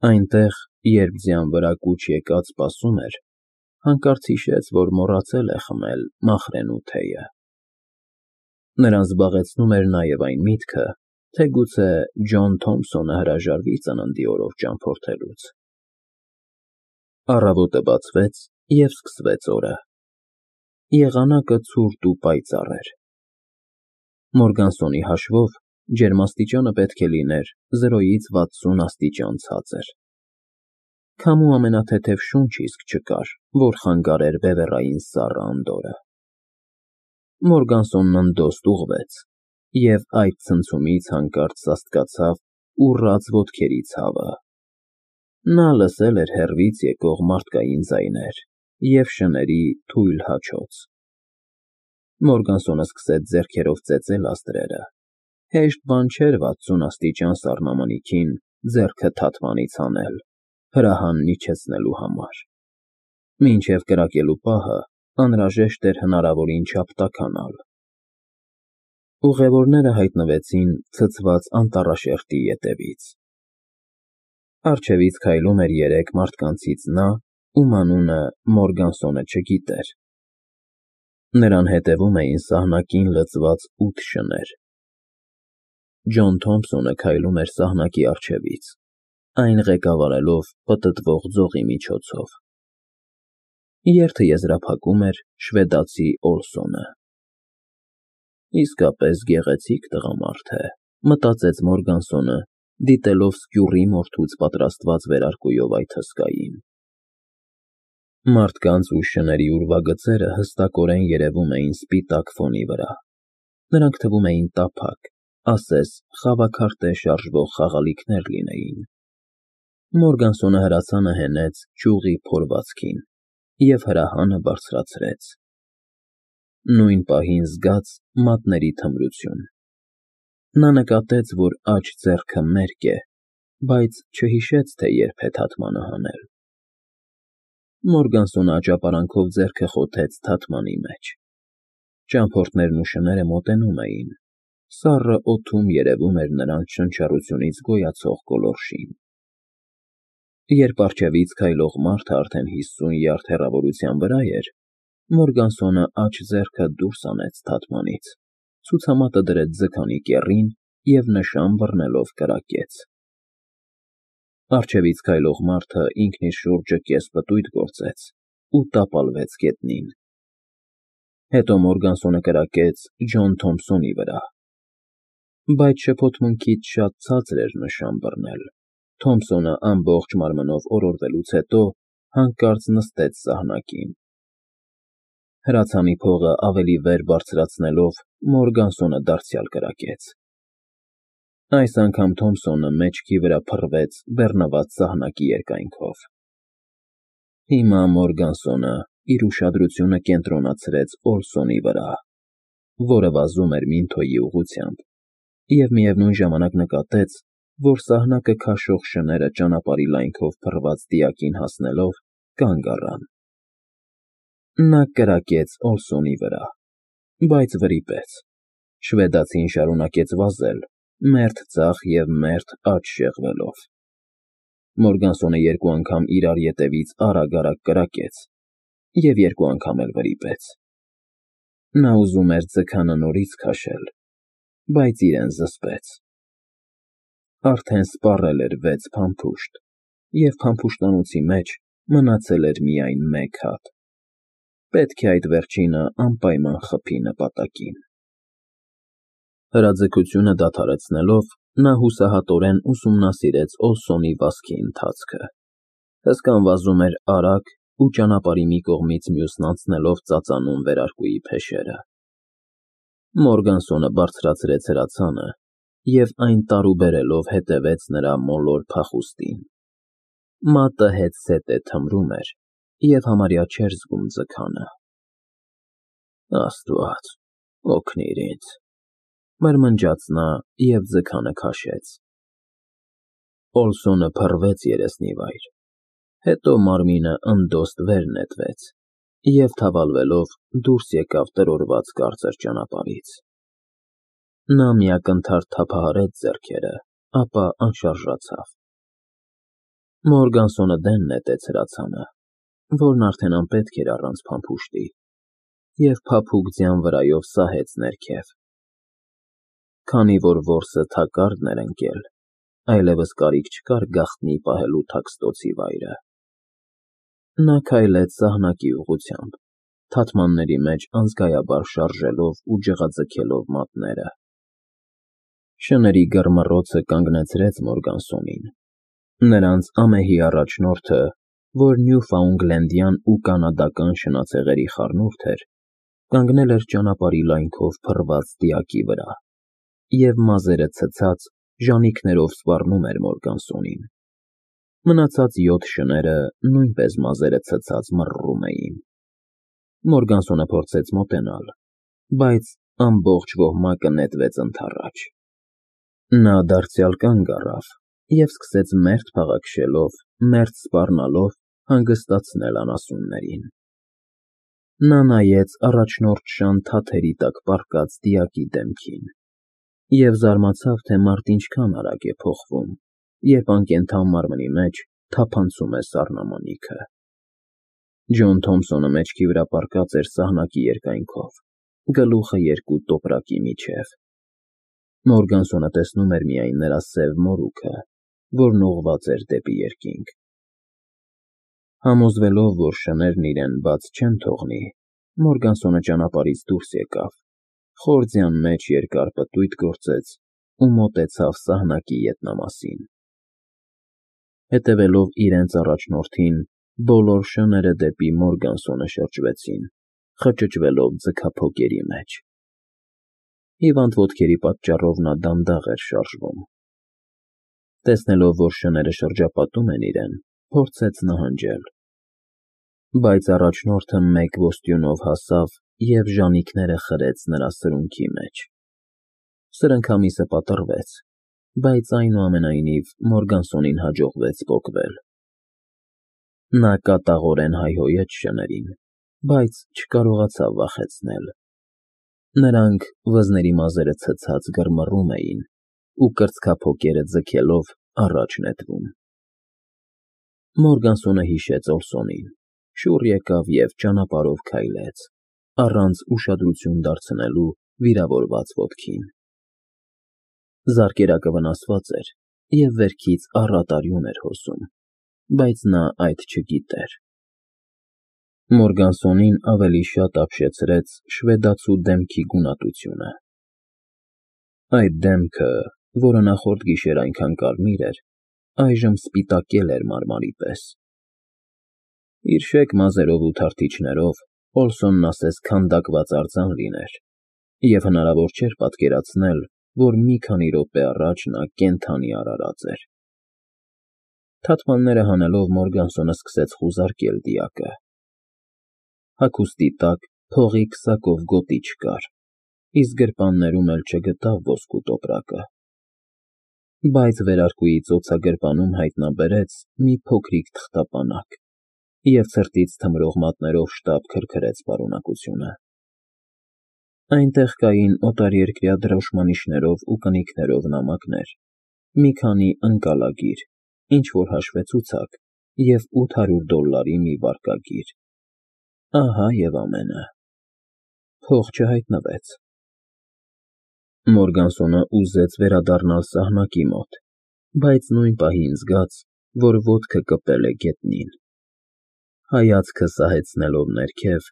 Այնտեղ, երբ ձյան վրա կուչ եկած սպասում էր, հանկարծ հիշեց, որ մոռացել է խմել մախրենու թեյը։ Նրան զբաղեցնում էր նաև այն միտքը, թե գուցե Ջոն Թոմփսոնը հրաժարվի ծննդի օրով ճամփորդելուց։ Առավոտը բացվեց, և սկսվեց օրը։ Եղանակը ցուրտ ու պայծառ էր։ Մորգանսոնի հաշվով ջերմաստիճանը պետք է լիներ 0-ից 60 աստիճան ցածր։ Քամու ամենաթեթև շունչ իսկ չկար, որ խանգարեր բևեռային սառը անդորրը։ Մորգանսոնն ընդոստ ուղղվեց, և այդ ցնցումից հանկարծ սաստկացավ ուռած ոտքերի ցավը։ Նա լսել էր հեռվից եկող մարդկային ձայներ և շների թույլ հաչոց։ Մորգանսոնը սկսեց ձեռքերով ծեծել աստղերը։ Հեշտ բան չէր 60 աստիճան սառնամանիքին ձեռքը թաթվանից հանել, հրահանն իջեցնելու համար։ Մինչև կրակելու պահը անհրաժեշտ էր հնարավորին չափ տաքանալ։ Ուղևորները հայտնվեցին ցցված անտառաշերտի ետևից։ Առջևից քայլում էր 3 մարդկանցից նա, ում անունը Մորգանսոնը չգիտեր։ Նրան հետևում էին սահնակին լցված 8 շներ։ Ջոն Թոմփսոնը քայլում էր սահնակի առջևից, այն ղեկավարելով պտտվող ձողի միջոցով։ Երթը եզրափակում էր շվեդացի Օլսոնը։ Իսկապես գեղեցիկ տղամարդ է, մտածեց Մորգանսոնը, դիտելով սկյուռի մորթուց պատրաստված վերարկուով այդ հսկային։ Մարդկանց ու շների ուրվագծերը հստակորեն երևում էին սպիտակ ֆոնի վրա։ Նրանք թվում էին տափակ, ասես խավաքարտե շարժվող խաղալիքներ լինեին։ Մորգանսոնը հրացանը հենեց ճյուղի փորվածքին և հրահանը բարձրացրեց։ Նույն պահին զգաց մատների թմրություն։ Նա նկատեց, որ աջ ձեռքը մերկ է, բայց չհիշեց, թե երբ է թաթմանը հանել։ Մորգանսոնը աճապարանքով ձեռքը խոթեց թաթմանի մեջ։ Ճամփորդներն ու շները մոտենում էին։ Սառը օդում երևում էր նրանց շնչառությունից գոյացող գոլորշին։ Երբ առջևից քայլող մարդը արդեն 50 յարդ հեռավորության վրա էր, Մորգանսոնը աջ ձեռքը դուրս հանեց թաթմանից, ցուցամատը դրեց ձգանի կեռին և նշան բռնելով կրակեց։ Առջևից քայլող մարդը ինքն իր շուրջը կես պտույտ գործեց ու տապալվեց գետնին։ Հետո Մորգանսոնը կրակեց Ջոն Թոմփսոնի վրա։ Բայց շփոթմունքից շատ ցածր էր նշան բռնել։ Թոմփսոնը ամբողջ մարմնով օրորվելուց հետո հանկարծ նստեց սահնակին։ Հրացանի փողը ավելի վեր բարձրացնելով Մորգանսոնը դարձյալ կրակեց։ Այս անգամ Թոմփսոնը մեջքի վրա փռվեց բեռնված սահնակի երկայնքով։ Հիմա Մորգանսոնը իր ուշադրությունը կենտրոնացրեց Օլսոնի վրա, որը վազում էր Մինթոյի ուղղությամբ, և միևնույն ժամանակ նկատեց, որ սահնակը քաշող շները ճանապարհի լայնքով փռված դիակին հասնելով կանգ առան։ Նա կրակեց Օլսոնի վրա, բայց վրիպեց։ Շվեդացին շարունակեց վազել, մերթ ձախ և մերթ աջ շեղվելով։ Մորգանսոնը 2 անգամ իրար ետևից արագ-արագ կրակեց և 2 անգամ էլ վրիպեց։ Նա ուզում էր ձգանը նորից քաշել, բայց իրեն զսպեց։ Արդեն սպառել էր 6 փամփուշտ, և փամփուշտանոցի մեջ մնացել էր միայն 1 հատ։ Պետք է այդ վերջինը անպայման խփի նպատակին։ Հրաձգությունը դադարեցնելով՝ նա հուսահատորեն ուսումնասիրեց Օլսոնի վազքի ընթացքը։ Հսկան վազում էր արագ ու ճանապարհի մի կողմից մյուսն անցնելով ծածանում վերարկուի փեշերը։ Մորգանսոնը բարձրացրեց հրացանը և այն տարուբերելով հետևեց նրա մոլոր փախուստին։ Մատը հետզհետե թմրում էր և համարյա չէր զգում ձգանը։ Աստված, օգնիր ինձ, մրմնջաց նա և ձգանը քաշեց։ Օլսոնը փռվեց երեսնիվայր, հետո մարմինը ընդոստ վեր նետվեց և թավալվելով դուրս եկավ տրորված կարծր ճանապարհից։ Նա մի ակնթարթ թափահարեց ձեռքերը, ապա անշարժացավ։ Մորգանսոնը դեն նետեց հրացանը, որն արդեն անպետք էր առանց փամփուշտի, և փափուկ ձյան վրայով սահեց ներքև։ Քանի որ որսը թակարդն էր ընկել, այլևս կարիք չկար գաղտնի պահելու թաքստոցի վայրը։ Նա քայլեց սահնակի ուղղությամբ, թաթմանների մեջ անզգայաբար շարժելով ու ջղաձգելով մատները։ Շների գռմռոցը կանգնեցրեց Մորգանսոնին։ Նրանց ամեհի առաջնորդը, որ նյուֆաունդլենդյան ու կանադական շնացեղերի խառնուրդ էր, կանգնել էր ճանապարհի լայնքով փռված դիակի վրա և մազերը ցցած ժանիքներով սպառնում էր Մորգանսոնին։ Մնացած 7 շները նույնպես մազերը ցցած մռռում էին։ Մորգանսոնը փորձեց մոտենալ, բայց ամբողջ ոհմակը նետվեց ընդառաջ։ Նա դարձյալ կանգ առավ և սկսեց մերթ փաղաքշելով, մերթ սպառնալով հանգստացնել անասուններին։ Նա նայեց առաջնորդ շան թաթերի տակ պառկած դիակի դեմքին և զարմացավ, թե մարդն ինչքան արագ է փոխվում, երբ անկենդան մարմնի մեջ թափանցում է սառնամանիքը։ Ջոն Թոմսոնը մեջքի վրա պառկած էր սահնակի երկայնքով, գլուխը երկու տոպրակի միջև։ Մորգանսոնը տեսնում էր միայն նրա սև մորուքը, որն ուղղված էր դեպի երկինք։ Համոզվելով, որ շներն իրեն բաց չեն թողնի, Մորգանսոնը ճանապարհից դուրս եկավ, խոր ձյան մեջ երկար պտույտ գործեց ու մոտեցավ սահնակի ետնամասին։ Հետևելով իրենց առաջնորդին, բոլոր շները դեպի Մորգանսոնը շրջվեցին, խճճվելով ձգափոկերի մեջ։ Հիվանդ ոտքերի պատճառով նա դանդաղ էր շարժվում։ Տեսնելով, որ շները շրջապատում են իրեն, փորձեց նահանջել, բայց առաջնորդը մեկ ոստյունով հասավ և ժանիքները խրեց նրա սրունքի մեջ։ Սրընքամիսը պատռվեց, բայց այնուամենայնիվ Մորգանսոնին հաջողվեց պոկվել։ Նա կատաղորեն հայհոյեց շներին, բայց չկարողացավ վախեցնել։ Նրանք վզների մազերը ցցած գռմռում էին ու կրծքափոկերը ձգելով առաջ նետվում։ Մորգանսոնը հիշեց Օլսոնին, շուռ եկավ և ճանապարհով քայլեց, առանց ուշադրություն դարձնելու վիրավորված ոտքին։ Զարկերակը վնասված էր և վերքից առատ արյուն էր հոսում, բայց նա այդ չգիտեր։ Մորգանսոնին ավելի շատ ապշեցրեց շվեդացու դեմքի գունատությունը։ Այդ դեմքը, որը նախորդ գիշեր այնքան կարմիր էր, այժմ սպիտակել էր մարմարի պես։ Իր շեկ մազերով ու թարթիչներով Օլսոնն ասես քանդակված արձան լիներ, և հնարավոր չէր պատկերացնել, որ մի քանի րոպե առաջ նա կենդանի արարած էր։ Թաթմանները հանելով Մորգանսոնը սկսեց խուզարկել դիակը։ Հագուստի տակ փողի քսակով գոտի չկար, իսկ գրպաններում էլ չգտավ ոսկու տոպրակը։ Բայց վերարկուի ծոցագրպանում հայտնաբերեց մի փոքրիկ թղթապանակ և ցրտից թմրող մատներով շտապ քրքրեց պարունակությունը։ Այնտեղ կային օտարերկրյա դրոշմանիշներով ու կնիքներով նամակներ, մի քանի ընկալագիր, ինչ֊որ հաշվեցուցակ և $800 մի վարկագիր։ Ահա և ամենը։ Փող չհայտնվեց։ Մորգանսոնը ուզեց վերադառնալ սահնակի մոտ, բայց նույն պահին զգաց, որ ոտքը կպել է գետնին։ Հայացքը սահեցնելով ներքև,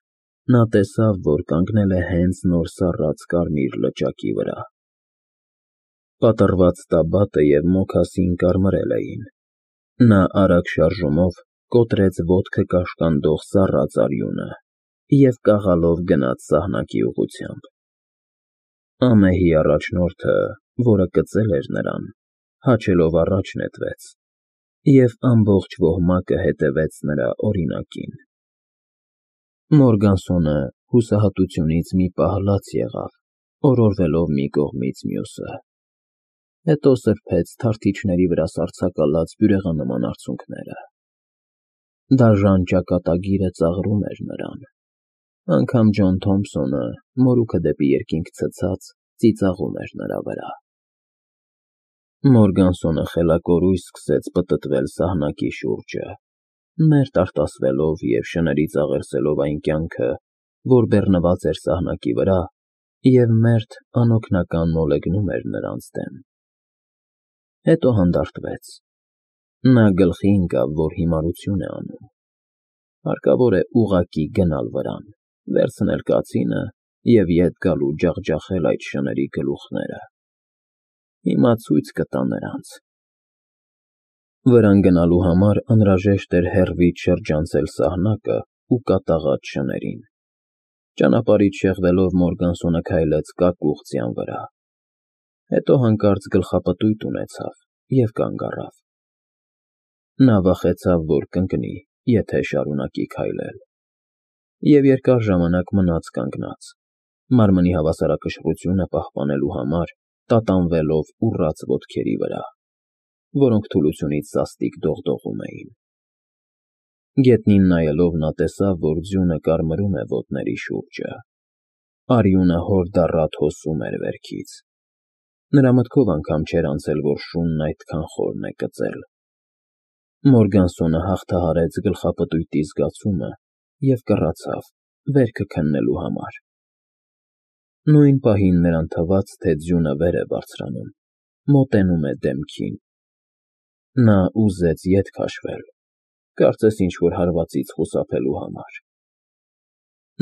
նա տեսավ, որ կանգնել է հենց նոր սառած կարմիր լճակի վրա։ Պատռված տաբատը և մոքասին կարմրել էին։ Նա արագ շարժումով կոտրեց ոտքը կաշկանդող սառած արյունը և կաղալով գնաց սահնակի ուղղությամբ։ Ամեհի առաջնորդը, որը կծել էր նրան, հաչելով առաջ նետվեց, և ամբողջ ոհմակը հետևեց նրա օրինակին։ Մորգանսոնը հուսահատությունից մի պահ լաց եղավ, օրորվելով մի կողմից մյուսը։ Հետո սրբեց թարթիչների վրա սառցակալած բյուրեղանման արցունքները։ Դաժան ճակատագիրը ծաղրում էր նրան։ Անգամ Ջոն Թոմսոնը, մորուքը դեպի երկինք ցցած, ծիծաղում էր նրա վրա։ Մորգանսոնը խելակորույս սկսեց պտտվել սահնակի շուրջը, մերթ արտասվելով և շներից աղերսելով այն կյանքը, որ բեռնված էր սահնակի վրա և մերթ անօգնական մոլեգնում էր նրանց դեմ։ Հետո հանդարտվեց. նա գլխի ընկավ, որ հիմարություն է անում, հարկավոր է ուղղակի գնալ վրան, վերցնել կացինը և ետ գալ ու ջախջախել այդ շների գլուխները։ Հիմա ցույց կտա նրանց։ Վրան գնալու համար անհրաժեշտ էր հեռվից շրջանցել սահնակը ու կատաղած շներին։ Ճանապարհից շեղվելով Մորգանսոնը քայլեց կակուղ ձյան վրա, հետո հանկարծ գլխապտույտ ունեցավ և կանգ առավ։ Նա վախեցավ, որ կընկնի, եթե շարունակի քայլել, և երկար ժամանակ մնաց կանգնած, մարմնի հավասարակշռությունը պահպանելու համար տատանվելով ուռած ոտքերի վրա, որոնք թուլությունից սաստիկ դողդողում էին։ Գետնին նայելով նա տեսավ, որ ձյունը կարմրում է ոտների շուրջը, արյունը հորդառատ հոսում էր վերքից։ Նրա մտքով անգամ չէր անցել, որ շունն այդքան խորն է կծել։ Մորգանսոնը հաղթահարեց գլխապտույտի զգացումը և կռացավ, վերքը քննելու համար։ Նույն պահին նրան թվաց, թե ձյունը վեր է բարձրանում, մոտենում է դեմքին։ Նա ուզեց ետ քաշվել, կարծես ինչ-որ հարվածից խուսափելու համար։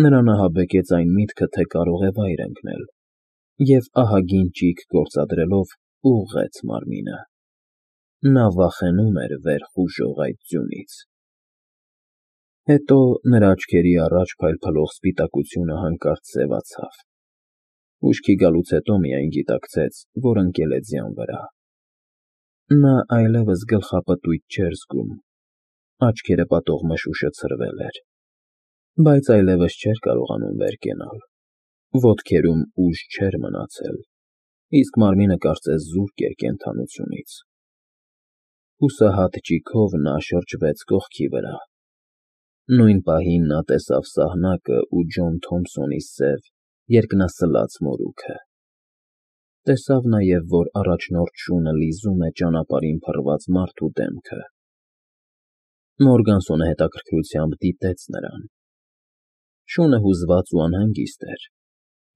Նրան ահաբեկեց այն միտքը, թե կարող է վայր ընկնել, և ահագին ճիգ գործադրելով ուղղեց մարմինը։ Նա վախենում էր վեր խուժող այդ ձյունից։ Հետո նրա աչքերի առաջ փայլփլող սպիտակությունը հանկարծ սևացավ։ Ուշքի գալուց հետո միայն գիտակցեց, որ ընկել է ձյան վրա։ Նա այլևս գլխապտույտ չէր զգում, աչքերը պատող մշուշը ցրվել էր, բայց այլևս չէր կարողանում վեր կենալ։ Ոտքերում ուժ չէր մնացել, իսկ մարմինը կարծես զուրկ էր կենդանությունից։ Հուսահատ ճիգով նա շրջվեց կողքի վրա։ Նույն պահին նա տեսավ սահնակը ու Ջոն Թոմփսոնի սև, երկնասլաց մորուքը։ Տեսավ նաև, որ առաջնորդ շունը լիզում է ճանապարհին փռված մարդու դեմքը։ Մորգանսոնը հետաքրքրությամբ դիտեց նրան։ Շունը հուզված ու անհանգիստ էր։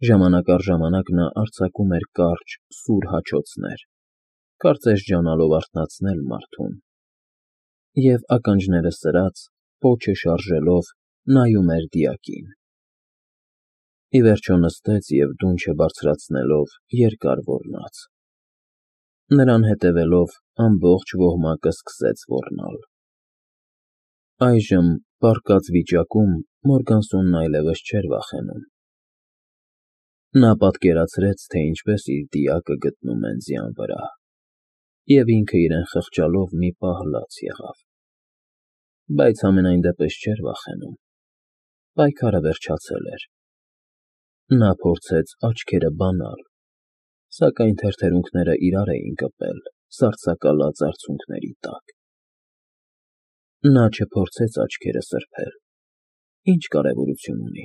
Ժամանակ առ ժամանակ նա արձակում էր կարճ, սուր հաչոցներ, կարծես ջանալով արթնացնել մարդուն, և ականջները սրած, պոչը շարժելով, նայում էր դիակին։ Ի վերջո նստեց և դունչը բարձրացնելով երկար ոռնաց։ Նրան հետևելով ամբողջ ոհմակը սկսեց ոռնալ։ Այժմ, պառկած վիճակում, Մորգանսոնն այլևս չէր վախենում։ Նա պատկերացրեց, թե ինչպես իր դիակը գտնում են ձյան վրա, և ինքը իրեն խղճալով մի պահ լաց եղավ։ Բայց համենայն դեպս չէր վախենում։ Պայքարը վերջացել էր։ Նա փորձեց աչքերը բանալ, սակայն թրթերունքները իրար էին կպել սառցակալած արցունքների տակ։ Նա չփորձեց աչքերը սրբել, ինչ կարևորություն ունի։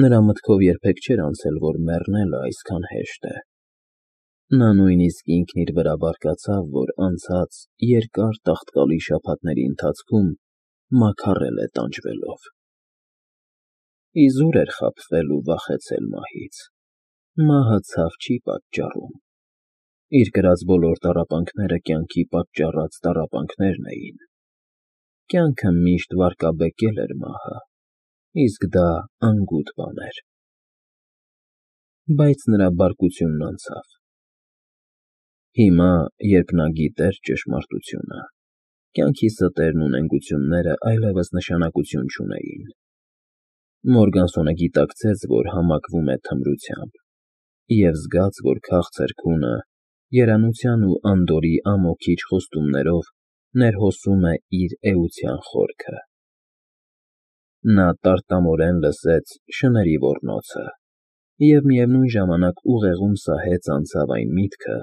Նրա մտքով երբեք չէր անցել, որ մեռնելը այսքան հեշտ է։ Նա նույնիսկ ինքն իր վրա բարկացավ, որ անցած երկար տաղտկալի շաբաթների ընթացքում մաքարել է տանջվելով։ Իզուր էր խաբվել ու վախեցել մահից։ Մահը ցավ չի պատճառում։ Իր կրած բոլոր տառապանքները կյանքի պատճառած տառապանքներն էին։ Կյանքը միշտ վարկաբեկել էր մահը, իսկ դա անգութ բան էր։ Բայց նրա բարկությունն անցավ։ Հիմա, երբ նա գիտեր ճշմարտությունը, կյանքի ստերն ու նենգությունները այլևս նշանակություն չունեին։ Մորգանսոնը գիտակցեց, որ համակվում է թմրությամբ, և զգաց, որ քաղցր քունը, երանության ու անդորրի ամոքիչ խոստումներով ներհոսում է իր էության խորքը։ Նա տարտամորեն լսեց շների ոռնոցը և միևնույն ժամանակ ուղեղում սահեց անցավ այն միտքը,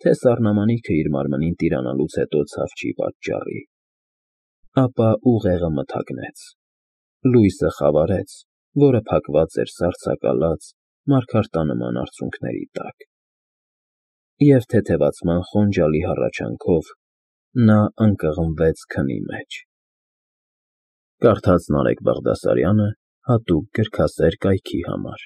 թե սառնամանիքը իր մարմնին տիրանալուց հետո ցավ չի պատճառի։ Ապա ուղեղը մթագնեց։ Լույսը խավարեց, որը փակված էր սառցակալած, մարգարտանման արցունքների տակ։ Եվ թեթևացման խոնջալի հառաչանքով նա ընկղմվեց քնի մեջ։ Կարդաց Նարեկ Բաղդասարյանը հատուկ գրքասեր կայքի համար։